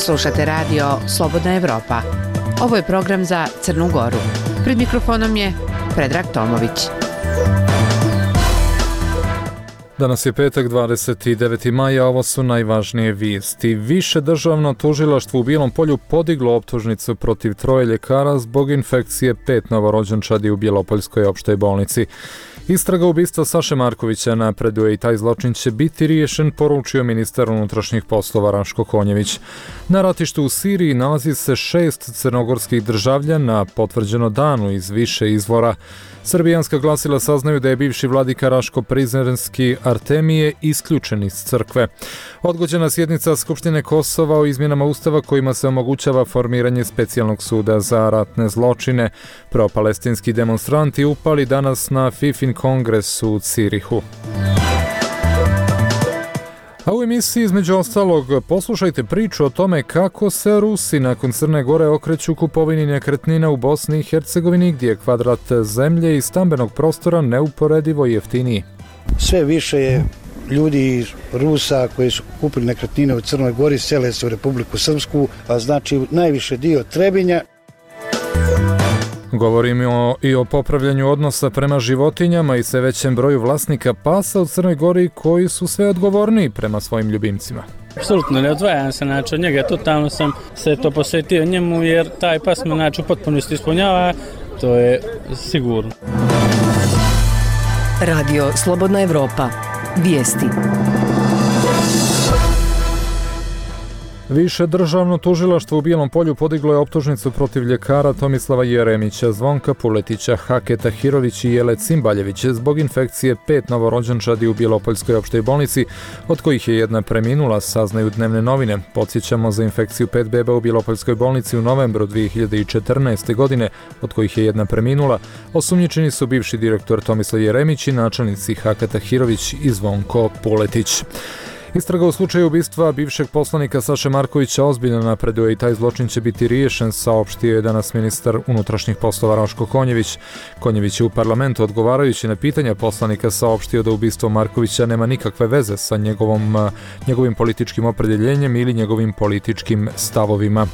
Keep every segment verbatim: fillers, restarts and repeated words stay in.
Slušate radio Slobodna Evropa. Ovo je program za Crnu Goru. Pred mikrofonom je Predrag Tomović. Danas je petak, dvadeset deveti maj, a ovo su najvažnije vijesti. Više državno tužilaštvo u Bijelom Polju podiglo optužnicu protiv troje ljekara zbog infekcije pet novorođenčadi u Bjelopoljskoj opštoj bolnici. Istraga ubistva Saše Markovića napreduje i taj zločin će biti riješen, poručio ministar unutrašnjih poslova Raško Konjević. Na ratištu u Siriji nalazi se šest crnogorskih državljana, potvrđeno danu iz više izvora. Srbijanska glasila saznaju da je bivši vladika Raško Prizrenski Artemije isključen iz crkve. Odgođena sjednica Skupštine Kosova o izmjenama Ustava kojima se omogućava formiranje specijalnog suda za ratne zločine. Pro-palestinski demonstranti upali danas na Fifin kongres u Cirihu. A u emisiji između ostalog poslušajte priču o tome kako se Rusi nakon Crne Gore okreću kupovini nekretnina u Bosni i Hercegovini, gdje je kvadrat zemlje i stambenog prostora neuporedivo jeftiniji. Sve više je ljudi Rusa koji su kupili nekretnine u Crnoj Gori, sele se u Republiku Srpsku, a znači najviše dio Trebinja. Govorimo i o popravljanju odnosa prema životinjama i sve većem broju vlasnika pasa u Crnoj Gori koji su sve odgovorniji prema svojim ljubimcima. Apsolutno ne odvajam se, znači od njega totalno sam se to posvetio njemu jer taj pas me znači u potpunosti ispunjava, to je sigurno. Radio Slobodna Evropa. Vijesti. Više državno tužilaštvo u Bijelom Polju podiglo je optužnicu protiv ljekara Tomislava Jeremića, Zvonka Puletića, Hake Tahirović i Jele Cimbaljević zbog infekcije pet novorođenčadi u Bjelopoljskoj opštoj bolnici, od kojih je jedna preminula, saznaju dnevne novine. Podsjećamo, za infekciju pet beba u Bjelopoljskoj bolnici u novembru dvije hiljade četrnaeste. godine, od kojih je jedna preminula, osumnjičeni su bivši direktor Tomislav Jeremić i načelnici Haka Tahirović i Zvonko Puletić. Istraga u slučaju ubistva bivšeg poslanika Saše Markovića ozbiljno napreduje i taj zločin će biti riješen, saopštio je danas ministar unutrašnjih poslova Raško Konjević. Konjević je u parlamentu odgovarajući na pitanja poslanika saopštio da ubistvo Markovića nema nikakve veze sa njegovom, njegovim političkim opredjeljenjem ili njegovim političkim stavovima.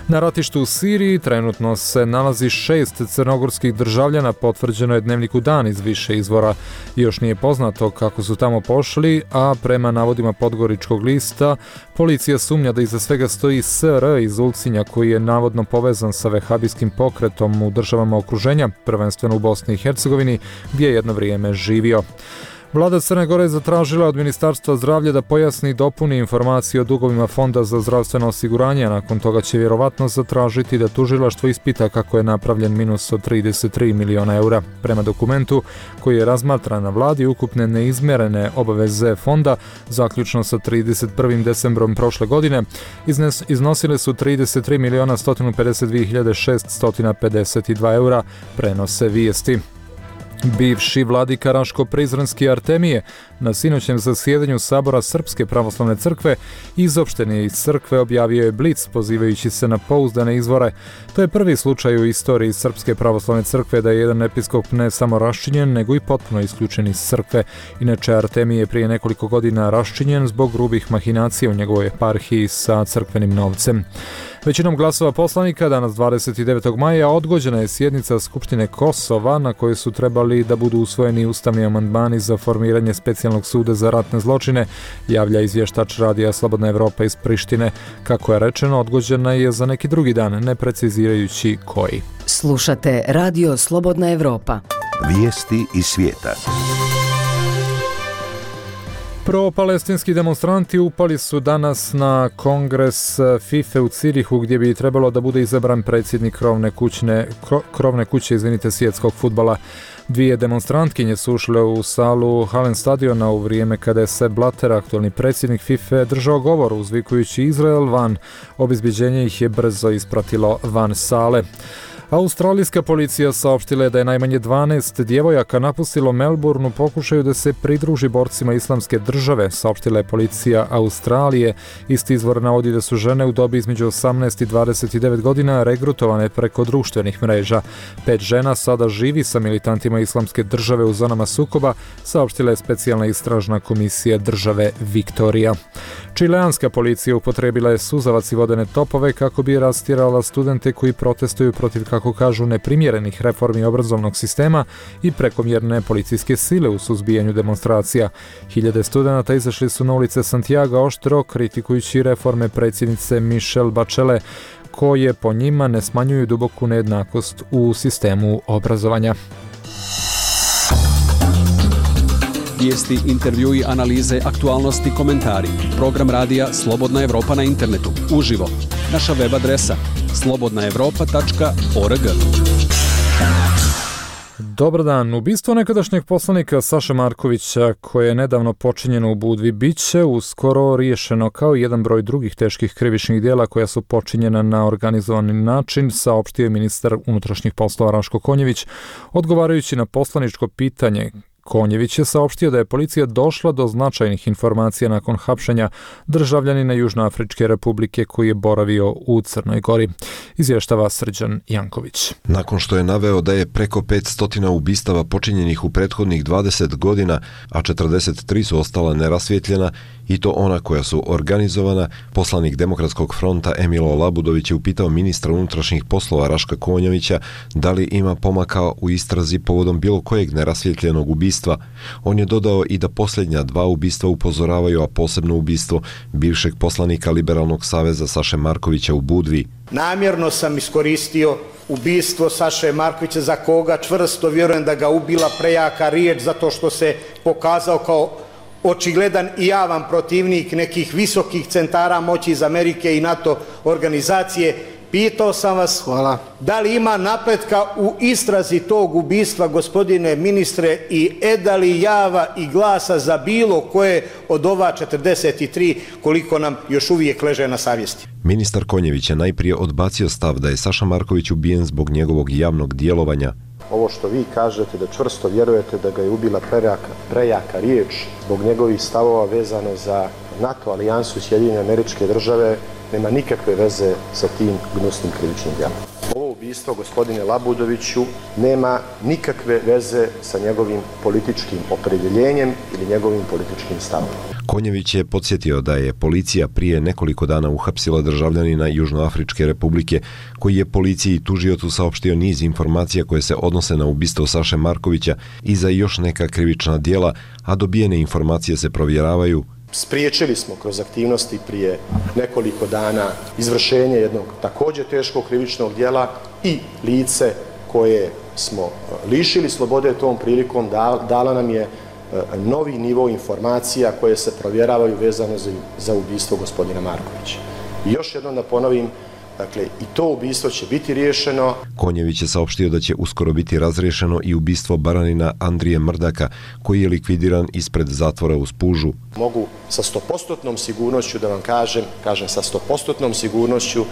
Na ratištu u Siriji trenutno se nalazi šest crnogorskih državljana, potvrđeno je Dnevniku Dan iz više izvora. Još nije poznato kako su tamo pošli, a prema navodima Podgoričkog lista, policija sumnja da iza svega stoji S R iz Ulcinja, koji je navodno povezan sa vehabijskim pokretom u državama okruženja, prvenstveno u Bosni i Hercegovini, gdje je jedno vrijeme živio. Vlada Crne Gore je zatražila od Ministarstva zdravlja da pojasni i dopuni informacije o dugovima Fonda za zdravstveno osiguranje, a nakon toga će vjerovatno zatražiti da tužilaštvo ispita kako je napravljen minus od trideset tri miliona eura. Prema dokumentu koji je razmatran na vladi, ukupne neizmjerene obaveze fonda, zaključno sa trideset prvim decembrom prošle godine, iznes, iznosile su trideset tri miliona sto pedeset dvije hiljade šeststo pedeset dva eura, prenose vijesti. Bivši vladika Raško Prizrenski Artemije na sinoćem zasjedanju Sabora Srpske pravoslavne crkve izopšten je iz crkve, objavio je Blic pozivajući se na pouzdane izvore. To je prvi slučaj u istoriji Srpske pravoslavne crkve da je jedan episkop ne samo raščinjen, nego i potpuno isključen iz crkve. Inače, Artemije je prije nekoliko godina raščinjen zbog grubih mahinacija u njegovoj eparhiji sa crkvenim novcem. Većinom glasova poslanika danas dvadeset devetog maja odgođena je sjednica Skupštine Kosova na kojoj su trebali da budu usvojeni ustavni amandmani za formiranje specijalnog suda za ratne zločine, javlja izvještač radija Slobodna Evropa iz Prištine. Kako je rečeno, odgođena je za neki drugi dan, ne precizirajući koji. Slušate Radio Slobodna Evropa. Vijesti iz svijeta. Pro-palestinski demonstranti upali su danas na kongres FIFA u Cirihu, gdje bi trebalo da bude izabran predsjednik krovne, kućne, krovne kuće izvinite, svjetskog fudbala. Dvije demonstrantkinje su ušle u salu Halen stadiona u vrijeme kada je Sepp Blatter, aktualni predsjednik FIFA, držao govor uzvikujući Izrael van. Obezbjeđenje ih je brzo ispratilo van sale. Australijska policija saopštila je da je najmanje dvanaest djevojaka napustilo Melbourne u pokušaju da se pridruži borcima Islamske države, saopštila je policija Australije. Isti izvor navodi da su žene u dobi između osamnaest i dvadeset devet godina regrutovane preko društvenih mreža. Pet žena sada živi sa militantima Islamske države u zonama sukoba, saopštila je specijalna istražna komisija države Viktorija. Čileanska policija upotrebila je suzavac i vodene topove kako bi rastjerala studente koji protestuju protiv, kako kažu, neprimjerenih reformi obrazovnog sistema i prekomjerne policijske sile u suzbijanju demonstracija. Hiljade studenata izašli su na ulice Santiaga oštro kritikujući reforme predsjednice Michelle Bachelet, koje po njima ne smanjuju duboku nejednakost u sistemu obrazovanja. Vijesti, intervjui, analize, aktualnosti, komentari. Program radija Slobodna Evropa na internetu. Uživo. Naša web adresa slobodna evropa tačka org. Dobar dan. Ubistvo nekadašnjeg poslanika Saše Markovića, koje je nedavno počinjeno u Budvi, bit će uskoro riješeno kao jedan broj drugih teških krivičnih djela koja su počinjena na organizovani način, saopštio je ministar unutrašnjih poslova Raško Konjević, odgovarajući na poslaničko pitanje. Konjević je saopštio da je policija došla do značajnih informacija nakon hapšenja državljanina Južnoafričke republike koji je boravio u Crnoj Gori. Izvještava Srđan Janković. Nakon što je naveo da je preko petsto ubistava počinjenih u prethodnih dvadeset godina, a četrdeset tri su ostala nerasvjetljena, i to ona koja su organizovana, poslanik Demokratskog fronta Emilo Labudović je upitao ministra unutrašnjih poslova Raška Konjevića da li ima pomaka u istrazi povodom bilo kojeg nerasvjetljenog ubistva. On je dodao i da posljednja dva ubistva upozoravaju, a posebno ubistvo bivšeg poslanika Liberalnog saveza Saše Markovića u Budvi. Namjerno sam iskoristio ubistvo Saše Markovića, za koga čvrsto vjerujem da ga ubila prejaka riječ, zato što se pokazao kao očigledan i javan protivnik nekih visokih centara moći iz Amerike i NATO organizacije. Pitao sam vas, hvala, da li ima napretka u istrazi tog ubistva, gospodine ministre, i eda li java i glasa za bilo koje od ova četrdeset tri, koliko nam još uvijek leže na savjesti? Ministar Konjević je najprije odbacio stav da je Saša Marković ubijen zbog njegovog javnog djelovanja. Ovo što vi kažete da čvrsto vjerujete da ga je ubila prejaka, prejaka riječ zbog njegovih stavova vezano za NATO alijansu i Sjedinjene Američke Države nema nikakve veze sa tim gnusnim krivičnim djelom. Ovo ubistvo, gospodine Labudoviću, nema nikakve veze sa njegovim političkim opredjeljenjem ili njegovim političkim stavom. Konjević je podsjetio da je policija prije nekoliko dana uhapsila državljanina Južnoafričke republike, koji je policiji i tužiocu saopštio niz informacija koje se odnose na ubistvo Saše Markovića i za još neka krivična djela, a dobijene informacije se provjeravaju. Spriječili smo kroz aktivnosti prije nekoliko dana izvršenje jednog također teškog krivičnog djela i lice koje smo lišili slobode tom prilikom dala nam je novi nivo informacija koje se provjeravaju vezano za, za ubistvo gospodina Markovića. I još jednom da ponovim, dakle, i to ubistvo će biti riješeno. Konjević je saopštio da će uskoro biti razriješeno i ubistvo baranina Andrije Mrdaka, koji je likvidiran ispred zatvora u Spužu. Mogu sa stopostotnom sigurnošću da vam kažem, kažem sa stopostotnom sigurnošću,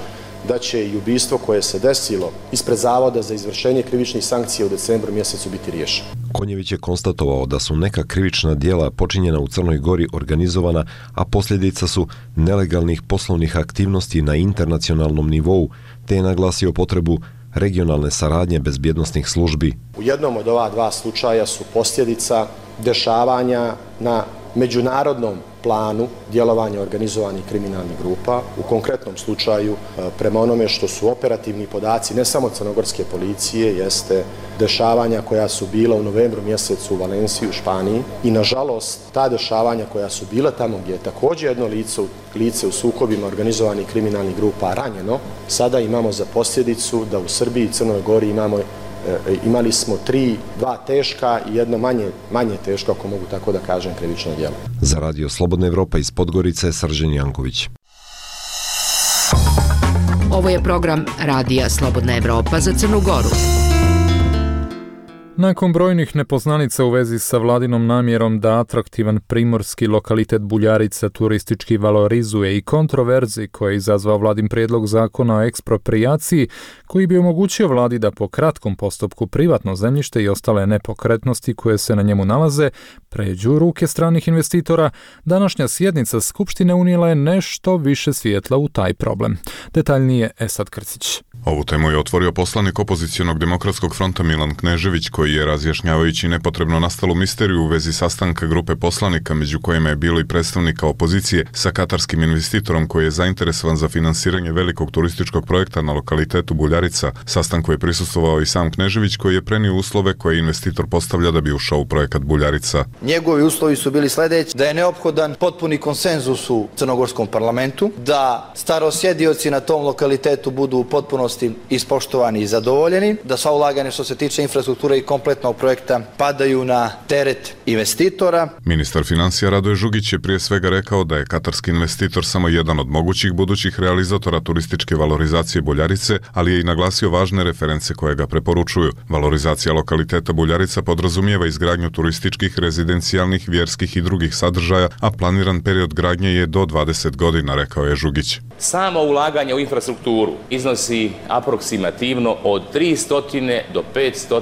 da će i ubistvo koje se desilo ispred Zavoda za izvršenje krivičnih sankcija u decembru mjesecu biti riješeno. Konjević je konstatovao da su neka krivična djela počinjena u Crnoj Gori organizovana, a posljedica su nelegalnih poslovnih aktivnosti na internacionalnom nivou, te je naglasio potrebu regionalne saradnje bezbjednosnih službi. U jednom od ova dva slučaja su posljedica dešavanja na međunarodnom planu djelovanja organizovanih kriminalnih grupa. U konkretnom slučaju, prema onome što su operativni podaci ne samo crnogorske policije, jeste dešavanja koja su bila u novembru mjesecu u Valenciji u Španiji i nažalost ta dešavanja koja su bila tamo gdje je također jedno lice, lice u sukobima organizovanih kriminalnih grupa ranjeno, sada imamo za posljedicu da u Srbiji i Crnoj Gori imamo imali smo tri, dva teška i jedno manje, manje teško, ako mogu tako da kažem, krivično djelo. Za Radio Slobodna Evropa iz Podgorice, Srđan Janković. Ovo je program Radija Slobodna Evropa za Crnu Goru. Nakon brojnih nepoznanica u vezi sa vladinom namjerom da atraktivan primorski lokalitet Buljarica turistički valorizuje i kontroverzi koje je izazvao vladin prijedlog zakona o eksproprijaciji koji bi omogućio vladi da po kratkom postupku privatno zemljište i ostale nepokretnosti koje se na njemu nalaze pređu u ruke stranih investitora, današnja sjednica Skupštine unijela je nešto više svjetla u taj problem. Detaljnije Esad Krcić. Ovu temu je otvorio poslanik opozicionog Demokratskog fronta Milan Knežević koji koji je, razjašnjavajući nepotrebno nastalu misteriju u vezi sastanka grupe poslanika, među kojima je bilo i predstavnika opozicije, sa katarskim investitorom koji je zainteresovan za finansiranje velikog turističkog projekta na lokalitetu Buljarica. Sastanku je prisustvovao i sam Knežević, koji je prenio uslove koje investitor postavlja da bi ušao u projekat Buljarica. Njegovi uslovi su bili sljedeći: da je neophodan potpuni konsenzus u crnogorskom parlamentu, da starosjedioci na tom lokalitetu budu u potpunosti ispoštovani i zadovoljeni, da sva ulaganja što se tiče infrastrukture i kompletnog projekta padaju na teret investitora. Ministar financija Radoje Žugić je prije svega rekao da je katarski investitor samo jedan od mogućih budućih realizatora turističke valorizacije Buljarice, ali je i naglasio važne reference koje ga preporučuju. Valorizacija lokaliteta Buljarica podrazumijeva izgradnju turističkih, rezidencijalnih, vjerskih i drugih sadržaja, a planiran period gradnje je do dvadeset godina, rekao je Žugić. Samo ulaganje u infrastrukturu iznosi aproksimativno od tristo do petsto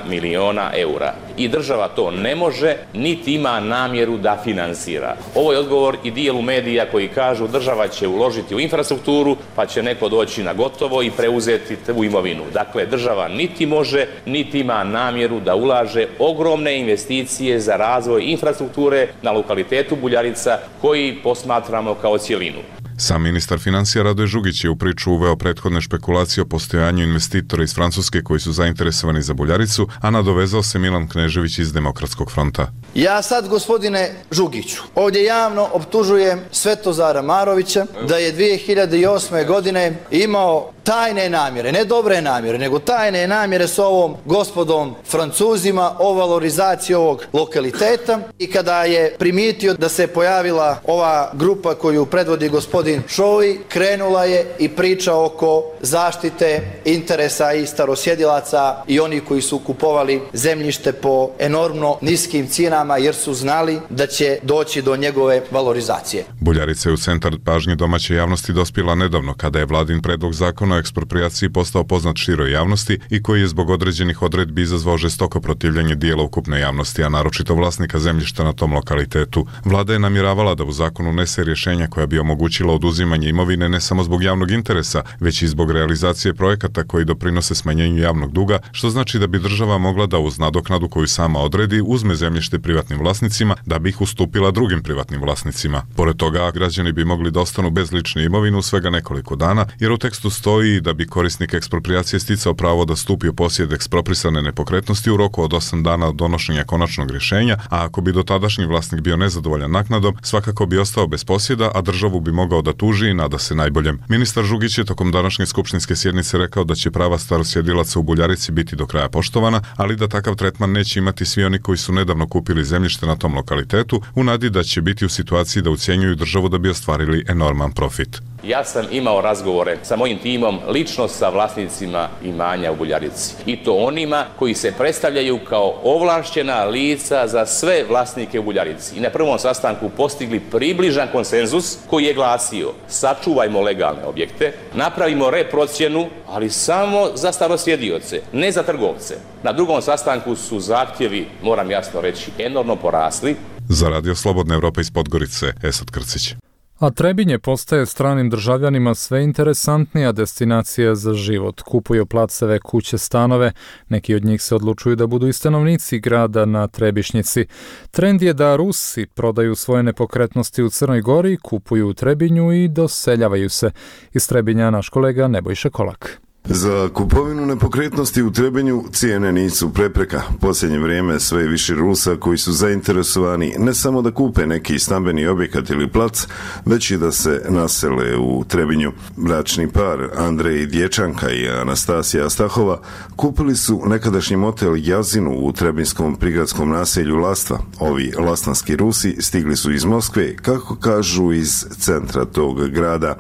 miliona eura. I država to ne može, niti ima namjeru da finansira. Ovo je odgovor i dijelu medija koji kažu država će uložiti u infrastrukturu, pa će neko doći na gotovo i preuzeti tu imovinu. Dakle, država niti može, niti ima namjeru da ulaže ogromne investicije za razvoj infrastrukture na lokalitetu Buljarica, koji posmatramo kao cjelinu. Sam ministar financija Radoje Žugić je u priču uveo prethodne špekulacije o postojanju investitora iz Francuske koji su zainteresovani za Buljaricu, a nadovezao se Milan Knežević iz Demokratskog fronta. Ja sad, gospodine Žugiću, ovdje javno optužujem Svetozara Marovića da je dvije hiljade osme. godine imao tajne namjere, ne dobre namjere, nego tajne namjere s ovom gospodom Francuzima o valorizaciji ovog lokaliteta, i kada je primijetio da se pojavila ova grupa koju predvodi gospodin Šovi, krenula je i priča oko zaštite interesa i starosjedilaca i oni koji su kupovali zemljište po enormno niskim cijenama jer su znali da će doći do njegove valorizacije. Buljarica je u centar pažnje domaće javnosti dospjela nedavno, kada je vladin predlog zakona o eksproprijaciji postao poznat široj javnosti i koji je zbog određenih odredbi izazvao žestoko protivljenje dijela ukupne javnosti, a naročito vlasnika zemljišta na tom lokalitetu. Vlada je namjeravala da u zakonu unese rješenja koja bi omogućila oduzimanje imovine ne samo zbog javnog interesa, već i zbog realizacije projekata koji doprinose smanjenju javnog duga, što znači da bi država mogla da uz nadoknadu koju sama odredi uzme zemljište privatnim vlasnicima da bi ih ustupila drugim privatnim vlasnicima. Pored toga, građani bi mogli da ostanu bez lične imovine u svega nekoliko dana, jer u tekstu stoji da bi korisnik eksproprijacije sticao pravo da stupi u posjed eksproprisane nepokretnosti u roku od osam dana od donošenja konačnog rješenja, a ako bi dotadašnji vlasnik bio nezadovoljan naknadom, svakako bi ostao bez posjeda, a državu bi mogao da tuži i nada se najboljem. Ministar Žugić je tokom današnje skupštinske sjednice rekao da će prava starosjedilaca u Buljarici biti do kraja poštovana, ali da takav tretman neće imati svi oni koji su nedavno kupili zemljište na tom lokalitetu, u nadi da će biti u situaciji da ucjenjuju državu da bi ostvarili enorman profit. Ja sam imao razgovore sa mojim timom lično sa vlasnicima imanja u Buljarici, i to onima koji se predstavljaju kao ovlašćena lica za sve vlasnike u Buljarici, i na prvom sastanku postigli približan konsenzus koji je glasio: sačuvajmo legalne objekte, napravimo reprocjenu, ali samo za starosjedioce, ne za trgovce. Na drugom sastanku su zahtjevi, moram jasno reći, enormno porasli. Za Radio Slobodna Evropa iz Podgorice, Esad Krcić. A Trebinje postaje stranim državljanima sve interesantnija destinacija za život. Kupuju placeve, kuće, stanove. Neki od njih se odlučuju da budu i stanovnici grada na Trebišnjici. Trend je da Rusi prodaju svoje nepokretnosti u Crnoj Gori, kupuju u Trebinju i doseljavaju se. Iz Trebinja naš kolega Nebojša Kolak. Za kupovinu nepokretnosti u Trebinju cijene nisu prepreka. Posljednje vrijeme sve je više Rusa koji su zainteresovani ne samo da kupe neki stambeni objekat ili plac, već i da se nasele u Trebinju. Bračni par Andrej Dječanka i Anastasija Stahova kupili su nekadašnji motel Jazinu u trebinskom prigradskom naselju Lastva. Ovi lastanski Rusi stigli su iz Moskve, kako kažu iz centra tog grada.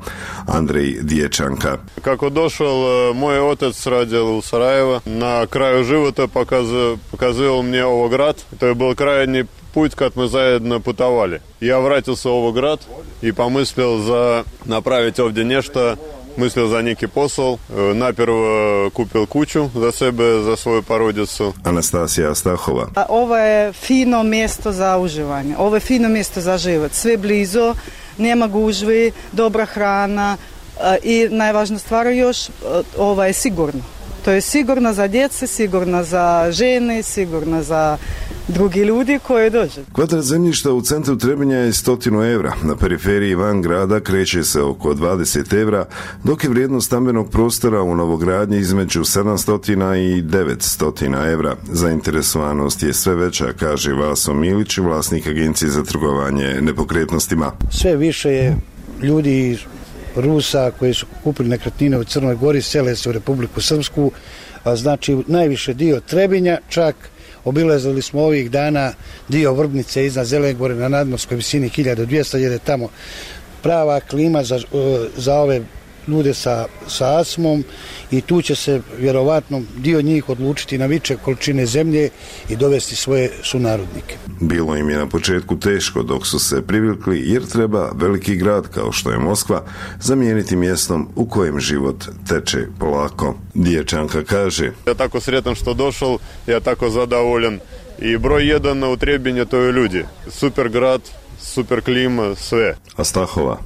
Andrej Dječanka. Kako došao moj otac radio u Sarajevo, na kraju života pokazao, pokazao мне ovo grad. To je bio krajnji put kad мы zajedno putovali. Я вратился в ovaj grad i pomislio za napraviti ovdje nešto. Mislio za neki posao, naprvo kupil kuću za sebe, za svoju porodicu. Anastasija Stahova. Ovo je fino mjesto za uživanje, ovo je fino mjesto za život. Sve blizu, nema gužvi, dobra hrana i najvažnija stvar još, ovo je sigurno. To je sigurno za djece, sigurno za žene, sigurno za drugi ljudi koji dođu. Kvadrat zemljišta u centru Trebinja je stotinu evra, na periferiji van grada kreće se oko dvadeset evra, dok je vrijednost stambenog prostora u novogradnji između sedamsto i devetsto evra. Zainteresovanost je sve veća, kaže Vaso Milić, vlasnik agencije za trgovanje nepokretnostima. Sve više je ljudi Rusa koji su kupili nekretnine u Crnoj Gori, sele se u Republiku Srpsku, a znači najviše dio Trebinja, čak obilazili smo ovih dana dio Vrbnice iznad Zelene Gore na nadmorskoj visini hiljadu dvjesto, jer je tamo prava klima za, za ove ljude sa, sa astmom i tu će se vjerovatno dio njih odlučiti na veće količine zemlje i dovesti svoje sunarodnike. Bilo im je na početku teško dok su se privikli, jer treba veliki grad kao što je Moskva zamijeniti mjestom u kojem život teče polako. Dječanka kaže: Ja tako sretan što došao, ja tako zadovoljan i broj jedan u Trebinju to je ljudi. Super grad, super klima, sve. A Stahova?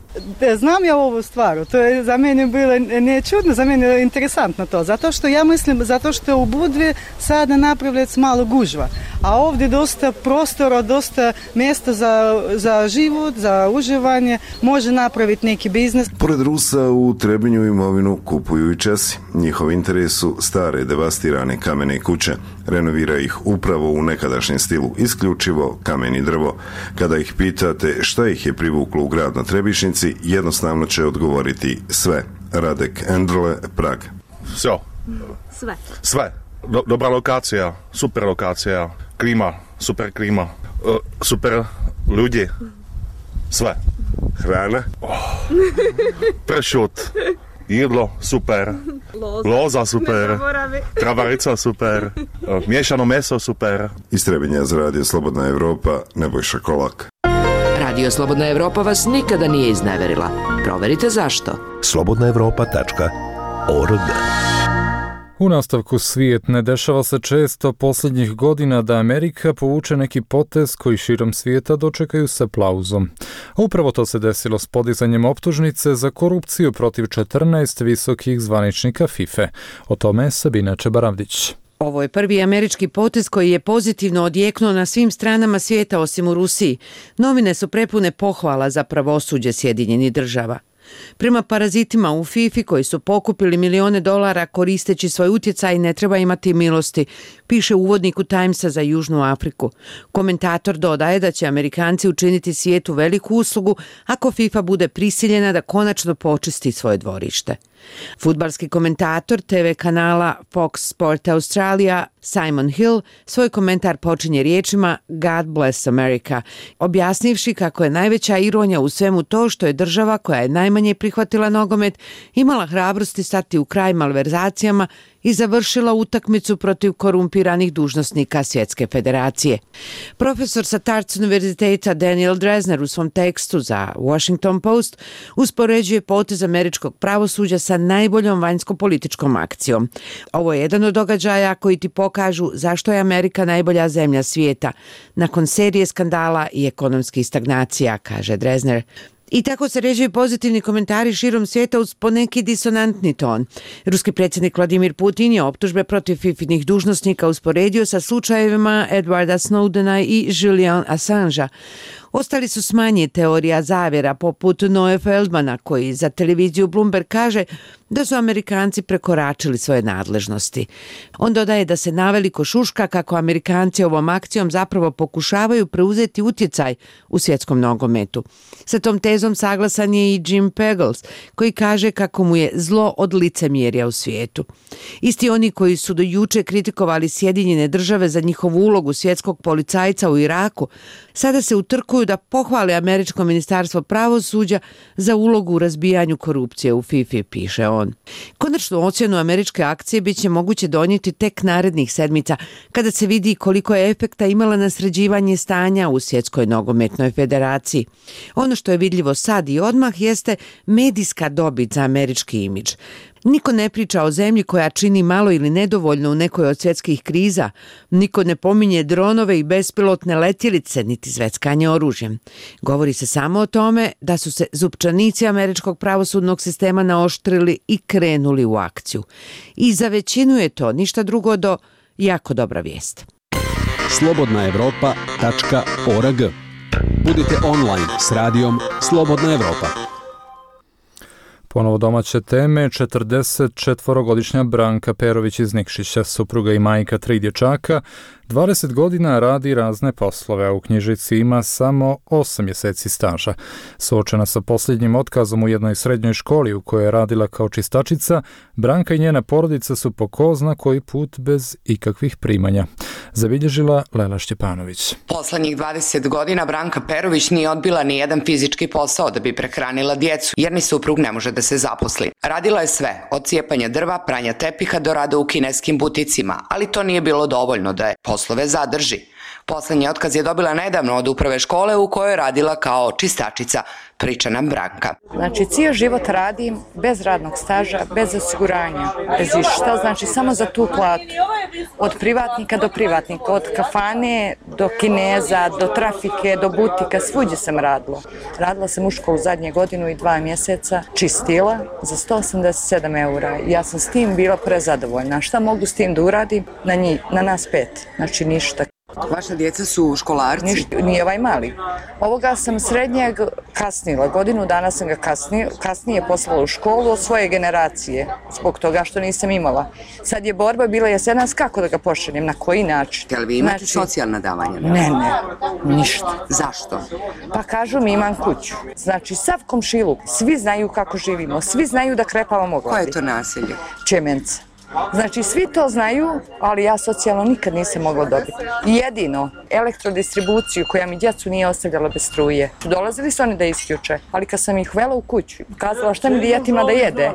Znam ja ovu stvar, to je za mene bilo ne čudno, za mene je interesantno to, zato što ja mislim, zato što u Budvi sada napravljaju malo gužva, a ovdje dosta prostora, dosta mjesta za, za život, za uživanje, može napraviti neki biznis. Pored Rusa u Trebinju imovinu kupuju i Česi. Njihov interes su stare devastirane kamene kuće. Renovira ih upravo u nekadašnjem stilu, isključivo kamen i drvo. Kada ih pitate šta ih je privuklo u grad na Trebišnici, jednostavno će odgovoriti sve. Radek Endrle, Prag. Sve. Sve. Sve. Do, dobra lokacija, super lokacija, klima, super klima, uh, super ljudi, sve. Hrana, oh. Pršut, jedlo, super, loza, Loza super, travarica super, uh, miješano meso super. Iz Trebinja za Radio Slobodna Evropa, Nebojša Kolak. Radio Slobodna Evropa vas nikada nije izneverila. Proverite zašto. slobodna evropa tačka org. U nastavku svijet ne dešava se često posljednjih godina da Amerika povuče neki potez koji širom svijeta dočekaju s aplauzom. A upravo to se desilo s podizanjem optužnice za korupciju protiv četrnaest visokih zvaničnika FIFA. O tome Sabina Čebaravdić. Ovo je prvi američki potez koji je pozitivno odjeknuo na svim stranama svijeta osim u Rusiji. Novine su prepune pohvala za pravosuđe Sjedinjenih država. Prema parazitima u FIFA koji su pokupili milione dolara koristeći svoj utjecaj, ne treba imati milosti, piše uvodnik u Timesa za Južnu Afriku. Komentator dodaje da će Amerikanci učiniti svijetu veliku uslugu ako FIFA bude prisiljena da konačno počisti svoje dvorište. Fudbalski komentator te ve kanala Fox Sport Australia Simon Hill svoj komentar počinje riječima God bless America, objasnivši kako je najveća ironija u svemu to što je država koja je najmanje prihvatila nogomet imala hrabrosti stati u kraj malverzacijama i završila utakmicu protiv korumpiranih dužnosnika Svjetske federacije. Profesor sa Tufts univerziteta Daniel Drezner u svom tekstu za Washington Post uspoređuje potez američkog pravosuđa sa najboljom vanjsko-političkom akcijom. Ovo je jedan od događaja koji ti pokažu zašto je Amerika najbolja zemlja svijeta nakon serije skandala i ekonomskih stagnacija, kaže Drezner. I tako se ređuju pozitivni komentari širom svijeta uz poneki disonantni ton. Ruski predsjednik Vladimir Putin je optužbe protiv fifinih dužnosnika usporedio sa slučajevima Edwarda Snowdena i Julian Assangea. Ostali su smanji teorija zavjera poput Noe Feldmana koji za televiziju Bloomberg kaže da su Amerikanci prekoračili svoje nadležnosti. On dodaje da se naveliko šuška kako Amerikanci ovom akcijom zapravo pokušavaju preuzeti utjecaj u svjetskom nogometu. Sa tom tezom saglasan je i Jim Pagels koji kaže kako mu je zlo od licemjerja u svijetu. Isti oni koji su do juče kritikovali Sjedinjene države za njihovu ulogu svjetskog policajca u Iraku, sada se utrkuju da pohvale američko ministarstvo pravosuđa za ulogu u razbijanju korupcije u FIFA, piše on. Konačnu ocjenu američke akcije bit će moguće donijeti tek narednih sedmica, kada se vidi koliko je efekta imala na sređivanje stanja u Svjetskoj nogometnoj federaciji. Ono što je vidljivo sad i odmah jeste medijska dobit za američki imidž. Niko ne priča o zemlji koja čini malo ili nedovoljno u nekoj od svjetskih kriza. Niko ne pominje dronove i bespilotne letjelice, niti zveckanje oružjem. Govori se samo o tome da su se zupčanici američkog pravosudnog sistema naoštrili i krenuli u akciju. I za većinu je to ništa drugo do jako dobra vijest. slobodna evropa tačka org. Budite online s radijom Slobodna Evropa. Ponovo domaće teme. četrdeset četvorogodišnja Branka Perović iz Nikšića, supruga i majka tri dječaka, dvadeset godina radi razne poslove, a u knjižici ima samo osam mjeseci staža. Suočena sa posljednjim otkazom u jednoj srednjoj školi u kojoj je radila kao čistačica, Branka i njena porodica su po ko zna koji put bez ikakvih primanja. Zabilježila Lela Šćepanović. Poslednjih dvadeset godina Branka Perović nije odbila ni jedan fizički posao da bi prehranila djecu, jer ni suprug ne može da se zaposli. Radila je sve, od cijepanja drva, pranja tepiha do rada u kineskim buticima, ali to nije bilo dovoljno da je poslove zadrži. Poslednji otkaz je dobila nedavno od uprave škole u kojoj je radila kao čistačica, priča nam Branka. Znači, cijel život radim bez radnog staža, bez osiguranja, bez išta, znači samo za tu platu. Od privatnika do privatnika, od kafane do kineza, do trafike, do butika, svuđe sam radila. Radila sam u školu zadnje godinu i dva mjeseca, čistila za sto osamdeset sedam eura. Ja sam s tim bila prezadovoljna. Šta mogu s tim da uradim? Na njih, na nas pet, znači ništa. Vaša djeca su školarci? Ništa, nije ovaj mali. Ovoga sam srednjeg kasnila, godinu dana sam ga kasnije, kasnije poslala u školu od svoje generacije, zbog toga što nisam imala. Sad je borba bila jesenas kako da ga pošaljem, na koji način. Jel vi imate znači, socijalna davanja? Ne, ne, ništa. Zašto? Pa kažu mi imam kuću. Znači, sav komšiluk, svi znaju kako živimo, svi znaju da krepavamo glavi. Koje je to naselje? Čemenca. Znači, svi to znaju, ali ja socijalno nikad nisam mogla dobiti. Jedino, elektrodistribuciju koja mi djecu nije ostavljala bez struje. Dolazili su oni da isključe, ali kad sam ih uvela u kuću, kazala šta mi djetima da jede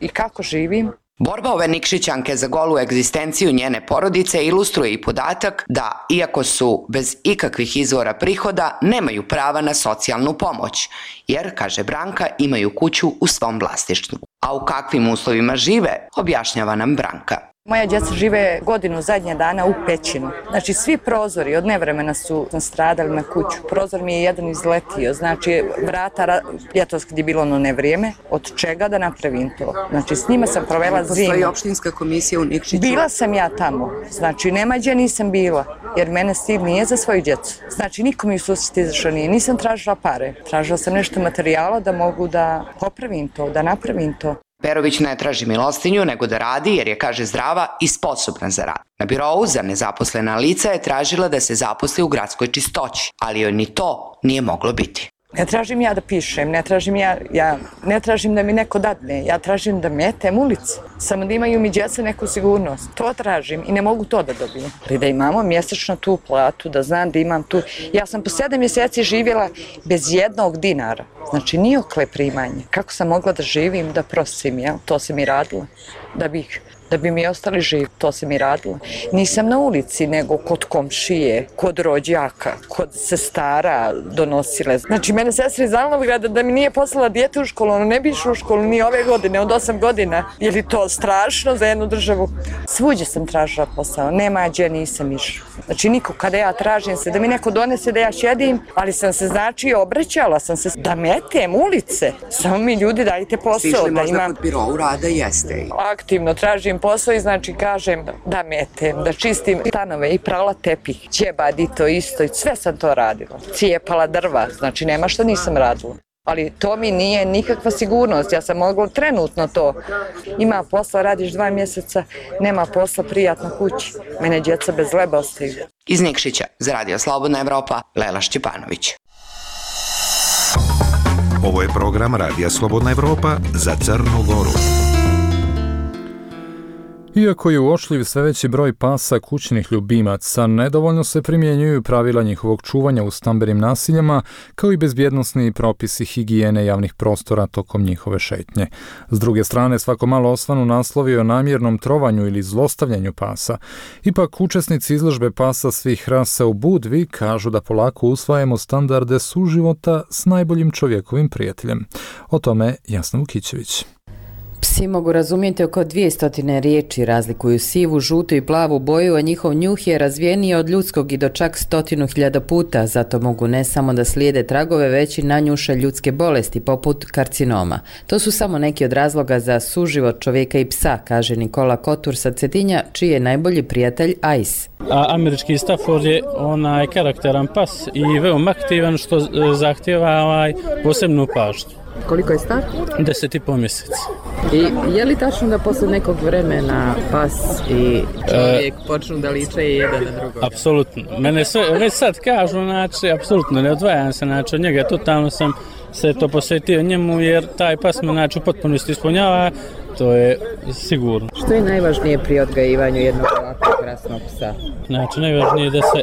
i kako živim. Borba ove Nikšićanke za golu egzistenciju njene porodice ilustruje i podatak da, iako su bez ikakvih izvora prihoda, nemaju prava na socijalnu pomoć, jer, kaže Branka, imaju kuću u svom vlasništvu. A u kakvim uslovima žive, objašnjava nam Branka. Moja djeca žive godinu zadnje dana u pećinu. Znači, svi prozori od nevremena su stradali na kuću. Prozor mi je jedan izletio, znači vrata, ljetos kad je bilo ono nevrijeme, od čega da napravim to. Znači, s njima sam provela zimu. Postoji opštinska komisija u Nikšiću? Bila sam ja tamo, znači, nema gdje nisam bila, jer mene stil nije za svoju djecu. Znači, niko mi u susret izašao nije, nisam tražila pare. Tražila sam nešto materijala da mogu da popravim to, da napravim to. Perović ne traži milostinju, nego da radi jer je, kaže, zdrava i sposobna za rad. Na birou za nezaposlena lica je tražila da se zaposli u gradskoj čistoći, ali joj ni to nije moglo biti. Ne tražim ja da pišem, ne tražim ja, ja ne tražim da mi neko dadne, ja tražim da metem ulici, samo da imaju mi djeca neku sigurnost. To tražim i ne mogu to da dobijem. Ali da imamo mjesečno tu platu, da znam da imam tu. Ja sam po sedam mjeseci živjela bez jednog dinara, znači nijokle primanje. Kako sam mogla da živim, da prosim, jel? To sam i radila, da bih... da bi mi ostali živi, to sam i radila. Nisam na ulici, nego kod komšije, kod rođaka, kod sestara donosile. Znači, mene sestra iz Alnovgrada da mi nije poslala dijete u školu, ono ne bi išlo u školu ni ove godine, od osam godina. Je li to strašno za jednu državu? Svuđe sam tražila posao, nema gdje nisam išla. Znači, niko, kada ja tražim se, da mi neko donese da ja šedim, ali sam se, znači, obraćala sam se da metem ulice. Samo mi ljudi dajte posao. Sišli da možda imam... kod birou rada, jeste. Aktivno tražim posao i znači kažem da metem, da čistim stanove i prala tepih, ćebadi to isto i sve sam to radila. Cijepala drva, znači nema što nisam radila. Ali to mi nije nikakva sigurnost, ja sam mogla trenutno to. Ima posla, radiš dva mjeseca, nema posla, prijatno kući. Mene djeca bez leba ostaju. Iz Nikšića, za Radio Slobodna Evropa, Lela Šćepanović. Ovo je program Radija Slobodna Evropa za Crnu Goru. Iako je uočljiv sve veći broj pasa kućnih ljubimaca, nedovoljno se primjenjuju pravila njihovog čuvanja u stambenim nasiljama, kao i bezbjednosni propisi higijene javnih prostora tokom njihove šetnje. S druge strane, svako malo osvanu naslovi o namjernom trovanju ili zlostavljanju pasa. Ipak, učesnici izložbe pasa svih rasa u Budvi kažu da polako usvajamo standarde suživota s najboljim čovjekovim prijateljem. O tome Jasna Vukićević. Psi Psi mogu razumjeti oko dvjesto riječi, razlikuju sivu, žutu i plavu boju, a njihov njuh je razvijeniji od ljudskog i do čak stotinu hiljada puta, zato mogu ne samo da slijede tragove, već i nanjuše ljudske bolesti, poput karcinoma. To su samo neki od razloga za suživot čovjeka i psa, kaže Nikola Kotur sa Cetinja, čiji je najbolji prijatelj Ice. A američki Stafford je onaj karakteran pas i veoma aktivan, što zahtjeva ovaj posebnu pažnju. Koliko je star? Deset i pol mjeseci. I je li tačno da posle nekog vremena pas i čovjek e, počnu da liče jedan na drugog? Apsolutno. Mene sve, već sad kažu, znači, apsolutno ne odvajam se, znači, od njega totalno sam se to posvetio njemu, jer taj pas me, znači, u potpunosti ispunjava, to je sigurno. Što je najvažnije pri odgajivanju jednog ovakvog krasnog psa? Znači, najvažnije je da se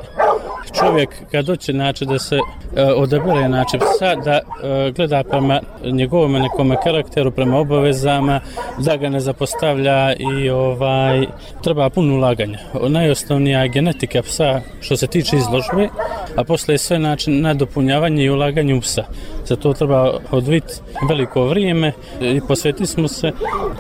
čovjek kad hoće, znači, da se e, odabere, znači, psa, da e, gleda prema njegovom nekom karakteru, prema obavezama, da ga ne zapostavlja i ovaj treba puno ulaganja. Najosnovnija je genetika psa što se tiče izložbe, a posle je sve, znači, nadopunjavanje i ulaganje u psa. Za to treba odviti veliko vrijeme i posvetili smo se,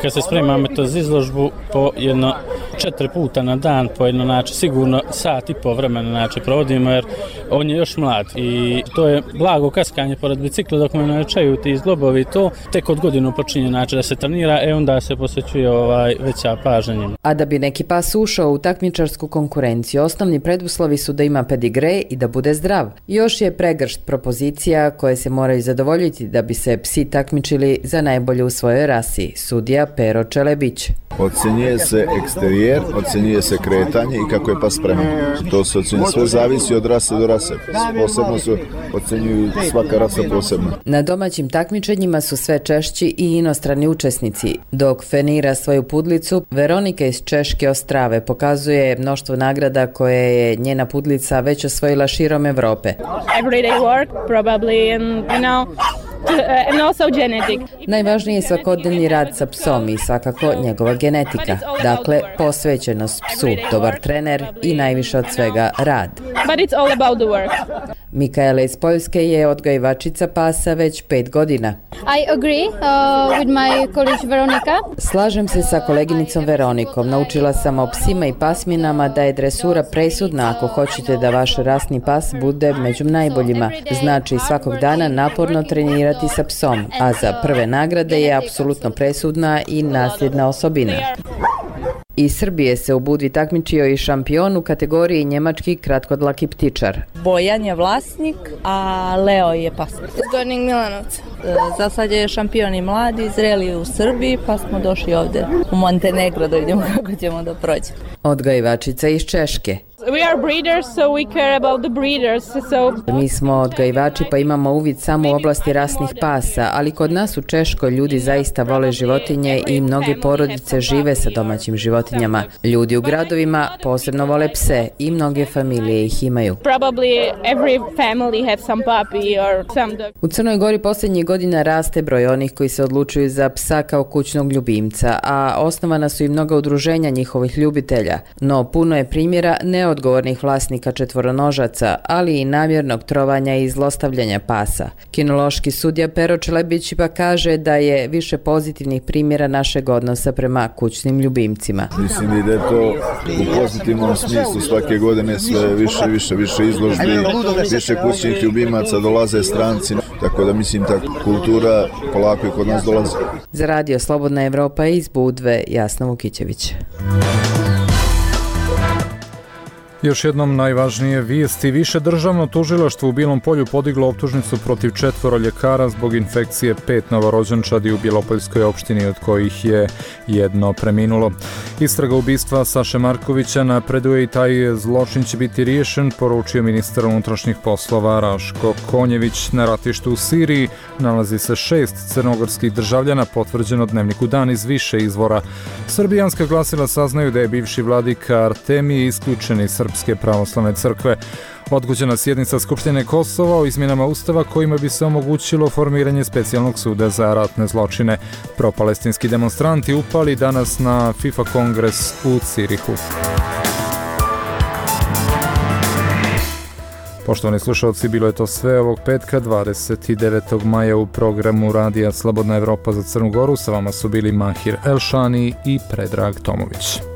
kad se spremamo to za izložbu, po jedno četiri puta na dan, po jedno, znači, sigurno sat i po vremena, znači, provodimo, jer on je još mlad i to je blago kaskanje pored bicikla dok me naučaju ti zglobovi, to tek od godinu počinje, znači, da se trenira, e onda se posvećuje ovaj veća pažnja njima. A da bi neki pas ušao u takmičarsku konkurenciju, osnovni preduslovi su da ima pedigre i da bude zdrav. Još je pregršt propozicija koje se moraju zadovoljiti da bi se psi takmičili za najbolje u svojoj rasi, sudija Pero Čelebić. Ocjenjuje se eksterijer, ocjenjuje se kretanje i kako je pas spreman. To se ocjenjuje, sve zavisi od rase do rase. Posebno se ocjenjuju svaka rasa posebno. Na domaćim takmičenjima su sve češći i inostrani učesnici. Dok fenira svoju pudlicu, Veronika iz Češke Ostrave pokazuje mnoštvo nagrada koje je njena pudlica već osvojila širom Evrope. Everyday work, probably, and, you know, and also genetic. Najvažniji je svakodnevni rad sa psom i svakako njegova genetika. Dakle, posvećenost psu, dobar trener i najviše od svega rad. But it's all about the work. Mikaela iz Poljske je odgajivačica pasa već pet godina. I agree uh, with my colleague Veronica. Slažem se sa koleginicom Veronikom. Naučila sam o psima i pasminama da je dresura presudna ako hoćete da vaš rasni pas bude među najboljima. Znači svakog dana naporno trenirati sa psom, a za prve nagrade je apsolutno presudna i nasljedna osobina. Iz Srbije se u Budvi takmičio i šampion u kategoriji njemački kratkodlaki ptičar. Bojan je vlasnik, a Leo je pas. Iz Gornjeg Milanovca. Za sad je šampion i mladi, zreli u Srbiji, pa smo došli ovdje u Montenegro da vidimo kako ćemo da prođemo. Odgajivačica iz Češke. We are breeders, so we care about the breeders. So... Mi smo odgajivači pa imamo uvid samo u oblasti rasnih pasa, ali kod nas u Češkoj ljudi zaista vole životinje i mnoge porodice žive sa domaćim životinjama. Ljudi u gradovima posebno vole pse i mnoge familije ih imaju. Probably every family have some puppy or some dog. U Crnoj Gori posljednjih godina raste broj onih koji se odlučuju za psa kao kućnog ljubimca, a osnovana su i mnoga udruženja njihovih ljubitelja. No puno je primjera ne odgovornih vlasnika četvoronožaca, ali i namjernog trovanja i zlostavljanja pasa. Kinološki sudija Pero Čelebić pa kaže da je više pozitivnih primjera našeg odnosa prema kućnim ljubimcima. Mislim da je to u pozitivnom smislu svake godine sve više, više, više izložbi, više kućnih ljubimaca, dolaze stranci, tako da mislim ta kultura polako i kod nas dolazi. Za radio Slobodna Evropa iz Budve, Jasna Vukićević. Još jednom najvažnije vijesti. Više državno tužilaštvo u Bilom Polju podiglo optužnicu protiv četvoro ljekara zbog infekcije pet novorođenčadi u Bijelopoljskoj opštini, od kojih je jedno preminulo. Istraga ubistva Saše Markovića napreduje i taj zločin će biti riješen, poručio ministar unutrašnjih poslova Raško Konjević. Na ratištu u Siriji nalazi se šest crnogorskih državljana, potvrđeno Dnevniku Dan iz više izvora. Srbijanska glasila saznaju da je bivši vladika Artemije isključen iz Srpske pravoslavne crkve. Odgođena sjednica Skupštine Kosova o izmjenama Ustava kojima bi se omogućilo formiranje specijalnog suda za ratne zločine. Propalestinski demonstranti upali danas na FIFA kongres u Cirihu. Poštovani slušalci, bilo je to sve ovog petka dvadeset devetog maja u programu Radija Slobodna Evropa za Crnu Goru. Sa vama su bili Mahir Elšani i Predrag Tomović.